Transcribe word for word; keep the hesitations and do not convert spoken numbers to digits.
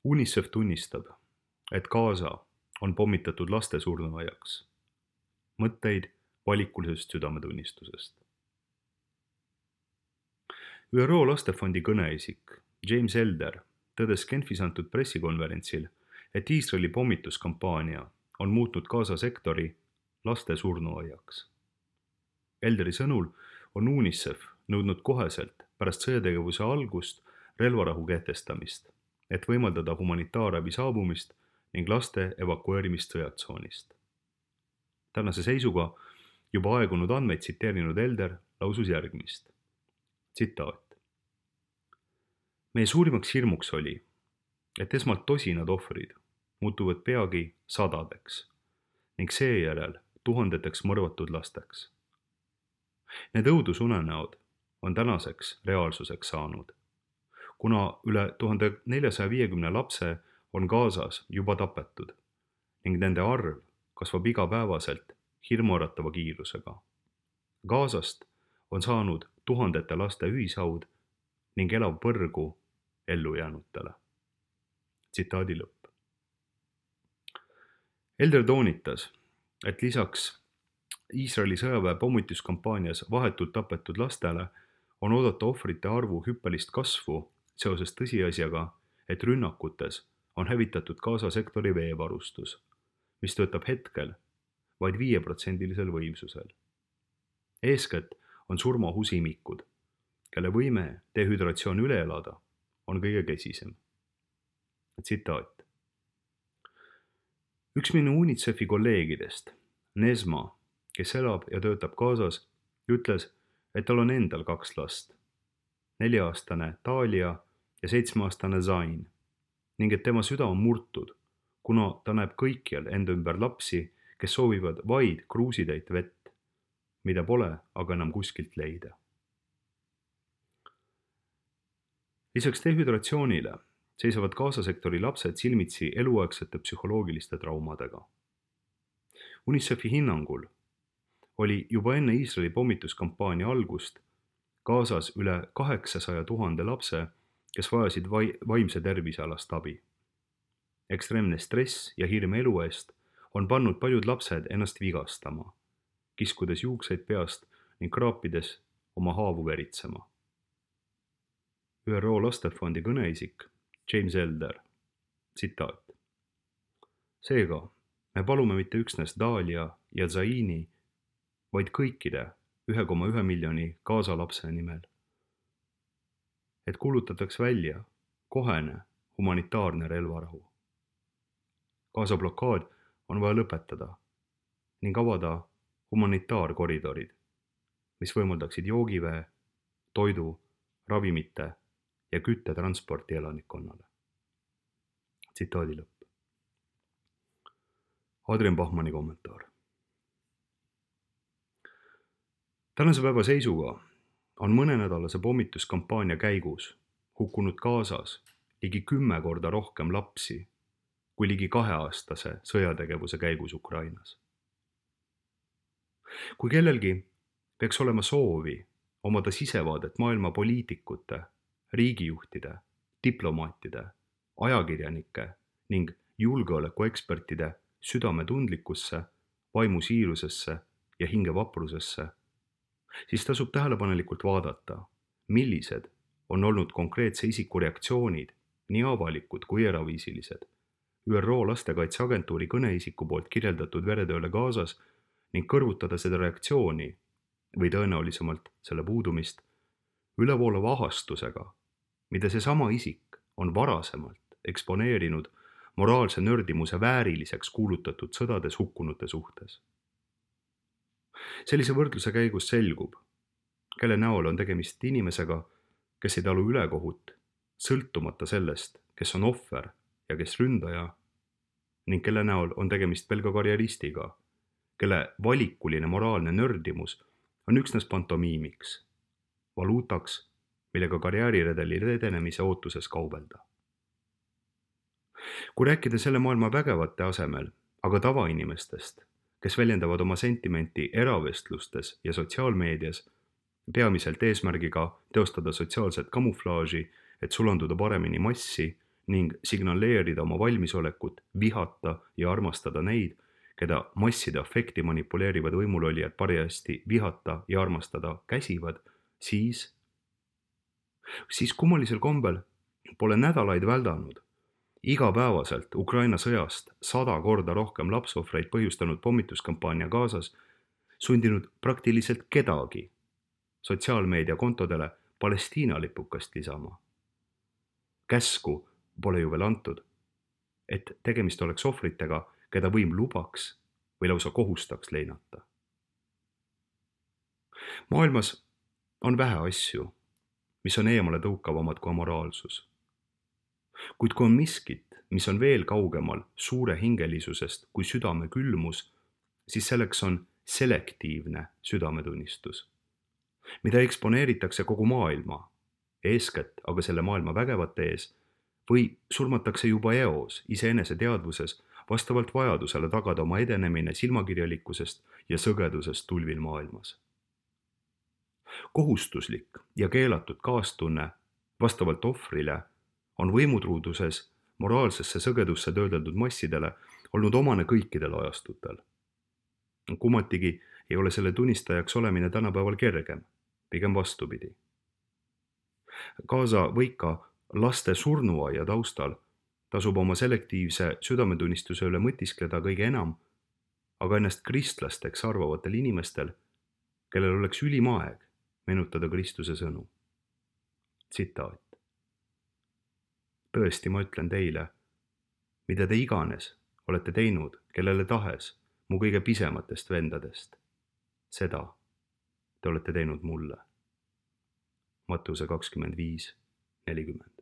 UNICEF tunnistab, et Gaza on pommitatud laste surnuaiaks. Mõtteid valikulisest südametunnistusest. ÜRO lastefondi kõneisik James Elder tõdes Genfis antud pressikonverentsil, et Iisraeli pommituskampaania on muutnud Gaza sektori laste surnuaiaks. Elderi sõnul on UNICEF nõudnud koheselt pärast sõjategevuse algust relvarahu kehtestamist, et võimaldada humanitaarabi saabumist ning laste evakueerimist sõjatsoonist. Tänase seisuga juba aegunud andmeid tsiteerinud Elder lausus järgmist. Tsitaat. Meie suurimaks hirmuks oli, et esmalt tosinad ohvrid muutuvad peagi sadadeks ning seejärel tuhandeteks mõrvatud lasteks. Need õudusunenäod on tänaseks reaalsuseks saanud, kuna üle tuhande neljasaja viiekümne lapse on Gazas juba tapetud ning nende arv kasvab igapäevaselt hirmuäratava kiirusega. Gazast on saanud tuhandete laste ühishaud ning elav põrgu ellujäänutele. Tsitaadi lõpp. Elder toonitas, et lisaks Iisraeli sõjaväe pommituskampaanias vahetult tapetud lastele on oodata ohvrite arvu hüppelist kasvu seoses tõsiasjaga, et rünnakutes on hävitatud Gaza sektori veevarustus, mis töötab hetkel vaid viieprotsendilisel võimsusel. Eeskätt on surmaohus imikud, kelle võime dehüdratsioon üle elada on kõige kesisem. Tsitaat. Üks minu UNICEFi kolleegidest, Nesma, kes elab ja töötab Gazas, ütles, et tal on endal kaks last, nelja-aastane Talia ja seitsme-aastane Zain, ning et tema süda on murtud, kuna ta näeb kõikjal enda ümber lapsi, kes soovivad vaid kruusitäit vett, mida pole aga enam kuskilt leida. Lisaks dehüdratsioonile seisavad Gaza sektori lapsed silmitsi eluaegsete psühholoogiliste traumadega. UNICEFi hinnangul oli juba enne Iisraeli pommituskampaania algust Gazas üle kaheksasaja tuhande lapse, kes vajasid vaimse tervisealast abi. Ekstreemne stress ja hirm elu eest on pannud paljud lapsed ennast vigastama, kiskudes juukseid peast ning kraapides oma haavu veritsema. ÜRO lastefondi kõneisik James Elder, tsitaat. Seega, me palume mitte üksnes Dalia ja Zaini, vaid kõikide ühe koma ühe miljoni Gaza lapse nimel, et kuulutataks välja kohene humanitaarne relvarahu. Gaza blokaad on vaja lõpetada ning avada humanitaarkoridorid, mis võimaldaksid joogivee, toidu, ravimite ja küttetransporti elanikkonnale. Tsitaadi lõpp. Adrian Bachmanni kommentaar. Tänase päeva seisuga on mõnenädalase pommituskampaania käigus hukkunud Gazas ligi kümme korda rohkem lapsi kui ligi kaheaastase sõjategevuse käigus Ukrainas. Kui kellelgi peaks olema soovi omada sisevaadet maailma poliitikute, riigijuhtide, diplomaatide, ajakirjanike ning julgeolekuekspertide südametundlikkusse, vaimusiirusesse ja hingevaprusesse, siis tasub tähelepanelikult vaadata, millised on olnud konkreetse isiku reaktsioonid, nii avalikud kui eraviisilised, ÜRO lastekaitseagentuuri kõneisiku poolt kirjeldatud veretööle Gazas ning kõrvutada seda reaktsiooni või tõenäolisemalt selle puudumist ülevoolava ahastusega, mida seesama isik on varasemalt eksponeerinud moraalse nördimuse vääriliseks kuulutatud sõdades hukkunute suhtes. Sellise võrdluse käigus selgub, kelle näol on tegemist inimesega, kes ei talu ülekohut, sõltumata sellest, kes on ohver ja kes ründaja, ning kelle näol on tegemist pelga karjeristiga, kelle valikuline moraalne nördimus on üksnes pantomiimiks, valuutaks, millega karjääriredeli edenemise ootuses kaubelda. Kui rääkida selle maailma vägevate asemel, aga tavainimestest, kes väljendavad oma sentimenti eravestlustes ja sotsiaalmeedias, peamiselt eesmärgiga teostada sotsiaalset kamuflaaži, et sulanduda paremini massi ning signaleerida oma valmisolekut vihata ja armastada neid, keda masside afekti manipuleerivad võimulolijad parajasti vihata ja armastada käsivad, siis, siis kummalisel kombel pole nädalaid väldanud igapäevaselt Ukraina sõjast sada korda rohkem lapsohvreid põhjustanud pommituskampaania Gazas sundinud praktiliselt kedagi sotsiaalmeedia kontodele Palestiina lipukast lisama. Käsku pole ju veel antud, et tegemist oleks ohvritega, keda võim lubaks või lausa kohustaks leinata. Maailmas on vähe asju, mis on eemale tõukavamad kui amoraalsus. Kuid kui on miskit, mis on veel kaugemal suure hingelisusest kui südame külmus, siis selleks on selektiivne südametunnistus, mida eksponeeritakse kogu maailma, eeskätt aga selle maailma vägevate ees, või surmatakse juba eos iseenese teadvuses vastavalt vajadusele tagada oma edenemine silmakirjalikkusest ja sõgedusest tulvil maailmas. Kohustuslik ja keelatud kaastunne vastavalt ohvrile on võimutruuduses moraalsesse sõgedusse töödeldud massidele olnud omane kõikidel ajastutel. Kummatigi ei ole selle tunnistajaks olemine tänapäeval kergem, pigem vastupidi. Gaza võika laste surnuaia taustal tasub oma selektiivse südametunnistuse üle mõtiskleda kõige enam, aga ennast kristlasteks arvavatel inimestel, kellel oleks ülim aeg meenutada Kristuse sõnu. Tsitaat. Tõesti, ma ütlen teile, mida te iganes olete teinud, kellele tahes mu kõige pisematest vendadest, seda te olete teinud mulle. Mattuse kakskümmend viis nelikümmend.